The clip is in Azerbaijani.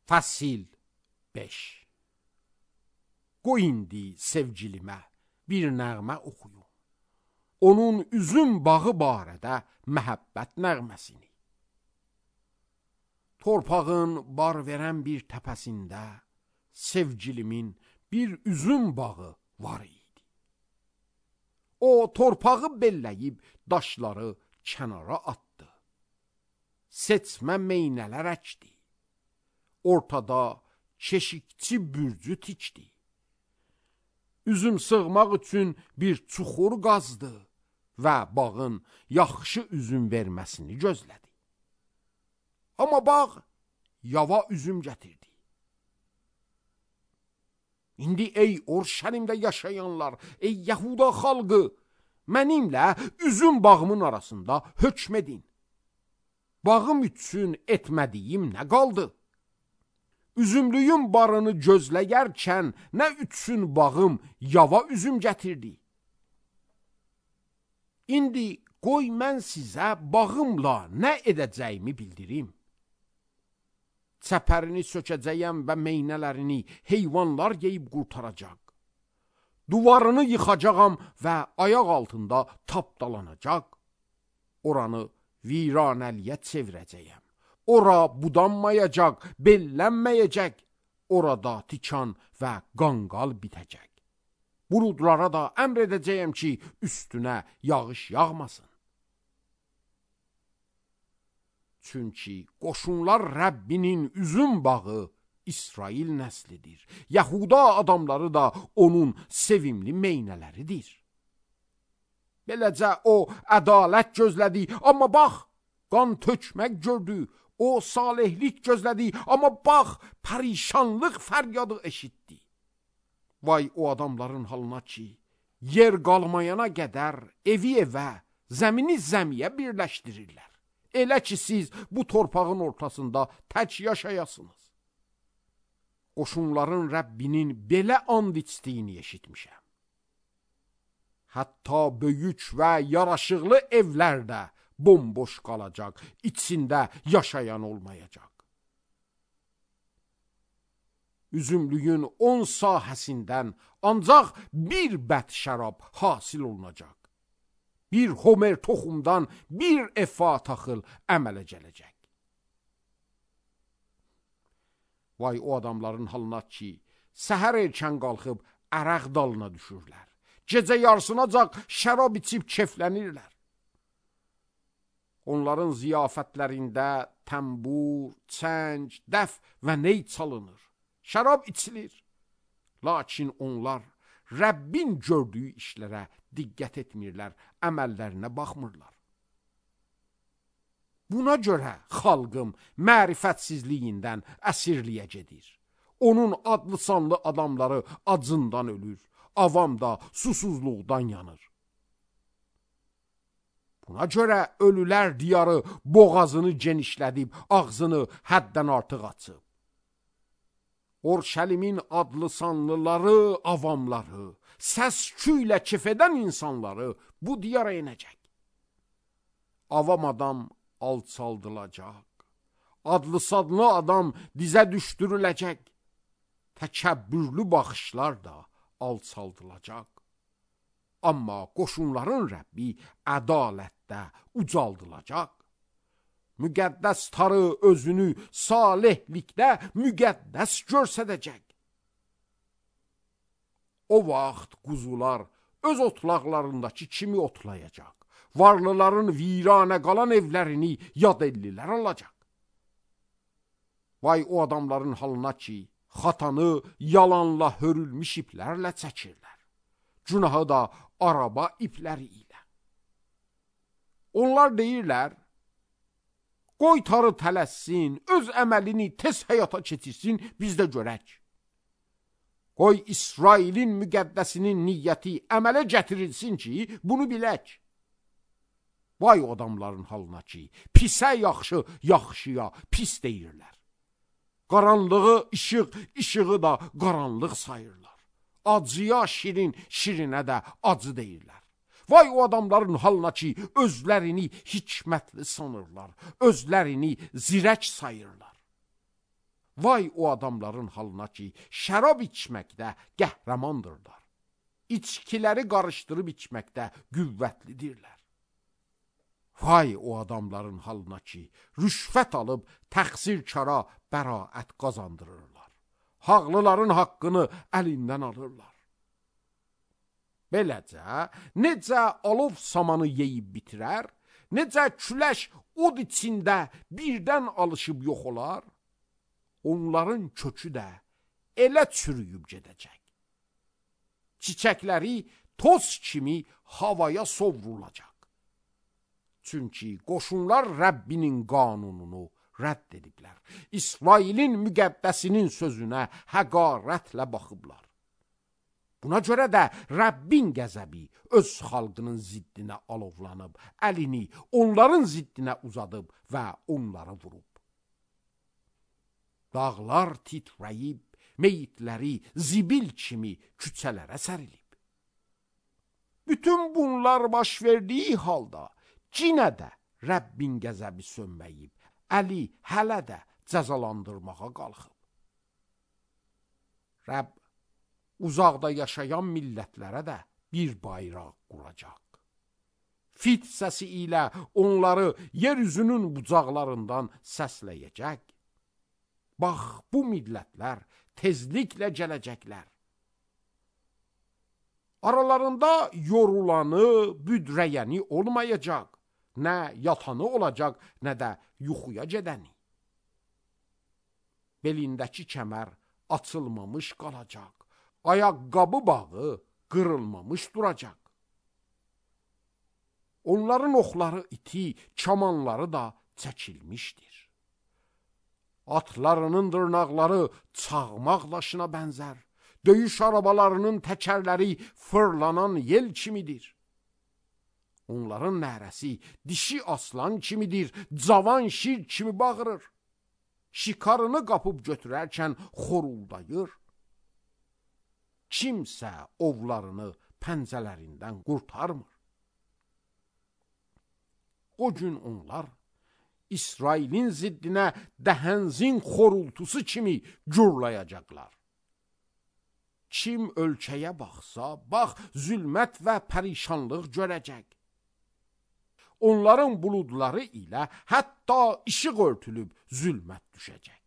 Fəsil 5. Qoy indi sevgilimə bir nəğmə oxuyum, onun üzüm bağı barədə məhəbbət nəğməsini. Torpağın bar verən bir təpəsində sevgilimin bir üzüm bağı var idi. O torpağı belləyib daşları kənara atdı. Seçmə meynələr əkdi. Ortada keşikçi bürcü tikdi. Üzüm sığmaq üçün bir çuxur qazdı və bağın yaxşı üzüm verməsini gözlədi. Amma bağ yava üzüm gətirdi. İndi ey Urşəlimdə yaşayanlar, ey Yahuda xalqı, mənimlə üzüm bağımın arasında hökm edin. Bağım üçün etmədiyim nə qaldı? Üzümlüyün barını gözləyərkən nə üçün bağım yava üzüm gətirdi? İndi qoy mən sizə bağımla nə edəcəyimi bildirim. Çəpərini sökəcəyəm və meynələrini heyvanlar yeyib qurtaracaq. Duvarını yıxacağam və ayaq altında tapdalanacaq. Oranı viranəliyə çevirəcəyəm. Ora budanmayacaq, bellənməyəcək. Orada tikan və qanqal bitəcək. Buludlara da əmr edəcəyəm ki, üstünə yağış yağmasın. Çünki qoşunlar Rəbbinin üzüm bağı İsrail nəslidir. Yahuda adamları da onun sevimli meynələridir. Beləcə o ədalət gözlədi, amma bax, qan tökmək gördü. O salihlik gözlədi, amma bax, pərişanlıq fəryadı eşitdi. Vay o adamların halına ki, yer qalmayana qədər evi evə, zəmini zəmiyə birləşdirirlər. Elə ki siz bu torpağın ortasında tək yaşayasınız. Qoşunların Rəbbinin belə and içdiyini eşitmişəm. Hətta böyük və yaraşıqlı evlərdə bomboş qalacaq, içində yaşayan olmayacaq. Üzümlüyün 10 sahəsindən ancaq bir bət şərab hasil olunacaq. Bir homer toxumdan bir efa taxıl əmələ gələcək. Vay o adamların halına ki, səhər erkən qalxıb əraq dalına düşürlər. Gecə yarısınacaq şərab içib keflənirlər. Onların ziyafətlərində təmbur, çəng, dəf və ney çalınır. Şərab içilir. Lakin onlar Rəbbin gördüyü işlərə diqqət etmirlər, əməllərinə baxmırlar. Buna görə xalqım mərifətsizliyindən əsirliyə gedir. Onun adlı sanlı adamları acından ölür, avam da susuzluqdan yanır. Buna görə ölülər diyarı boğazını genişlədib, ağzını həddən artıq açıb. Urşəlimin adlı sanlıları, avamları, səs-küy ilə kef edən insanları bu diyara inəcək. Avam adam alçaldılacaq, adlı sadlı adam dizə düşdürüləcək, təkəbbürlü baxışlar da alçaldılacaq. Amma qoşunların Rəbbi ədalətdə ucaldılacaq. Müqəddəs tarı özünü salihlikdə müqəddəs görsədəcək. O vaxt quzular öz otlaqlarındakı kimi otlayacaq. Varlıların viranə qalan evlərini yad ellilər alacaq. Vay o adamların halına ki, xatanı yalanla hörülmüş iplərlə çəkirlər. Günahı da araba ipləri ilə. Onlar deyirlər, qoy tarı tələssin, öz əməlini tez həyata keçirsin, biz də görək. Qoy İsrailin müqəddəsinin niyyəti əmələ gətirilsin ki, bunu bilək. Vay o adamların halına ki, pisə yaxşı, yaxşıya pis deyirlər. Qaranlığı işıq, işığı da qaranlıq sayırlar. Acıya şirin, şirinə də acı deyirlər. Vay o adamların halına ki, özlərini hikmətli sanırlar, özlərini zirək sayırlar. Vay o adamların halına ki, şərab içməkdə qəhrəmandırlar. İçkiləri qarışdırıb içməkdə qüvvətlidirlər. Vay o adamların halına ki, rüşvət alıb təqsirkara bəraət qazandırırlar. Haqlıların haqqını əlindən alırlar. Beləcə, necə alov samanı yeyib bitirər, necə küləş od içində birdən alışıb yox olar, onların kökü də elə çürüyüb gedəcək. Çiçəkləri toz kimi havaya sovrulacaq. Çünki qoşunlar Rəbbinin qanununu rədd ediblər. İsrailin müqəddəsinin sözünə həqarətlə baxıblar. Buna görə də Rəbbin qəzəbi öz xalqının ziddinə alovlanıb, əlini onların ziddinə uzadıb və onları vurub. Dağlar titrəyib, meyitləri zibil kimi küçələrə sərilib. Bütün bunlar baş verdiyi halda cinə də Rəbbin qəzəbi sönməyib, əli hələ də cəzalandırmağa qalxıb. Rəbb uzaqda yaşayan millətlərə də bir bayraq quracaq. Fit səsi ilə onları yeryüzünün bucaqlarından səsləyəcək. Bax, bu millətlər tezliklə gələcəklər. Aralarında yorulanı, büdrəyəni olmayacaq. Nə yatanı olacaq, nə də yuxuya gedəni. Belindəki kəmər açılmamış qalacaq. Ayaqqabı bağı qırılmamış duracaq. Onların oxları iti, kamanları da çəkilmişdir. Atlarının dırnaqları çağmaq daşına bənzər. Döyüş arabalarının təkərləri fırlanan yel kimidir. Onların nərəsi dişi aslan kimidir, cavan şir kimi bağırır. Şikarını qapıb götürərkən xoruldayır. Kimsə ovlarını pəncələrindən qurtarmır. O gün onlar İsrailin ziddinə dəhənzin xorultusu kimi gürlayacaqlar. Kim ölkəyə baxsa, bax, zülmət və pərişanlıq görəcək. Onların buludları ilə hətta işıq örtülüb zülmət düşəcək.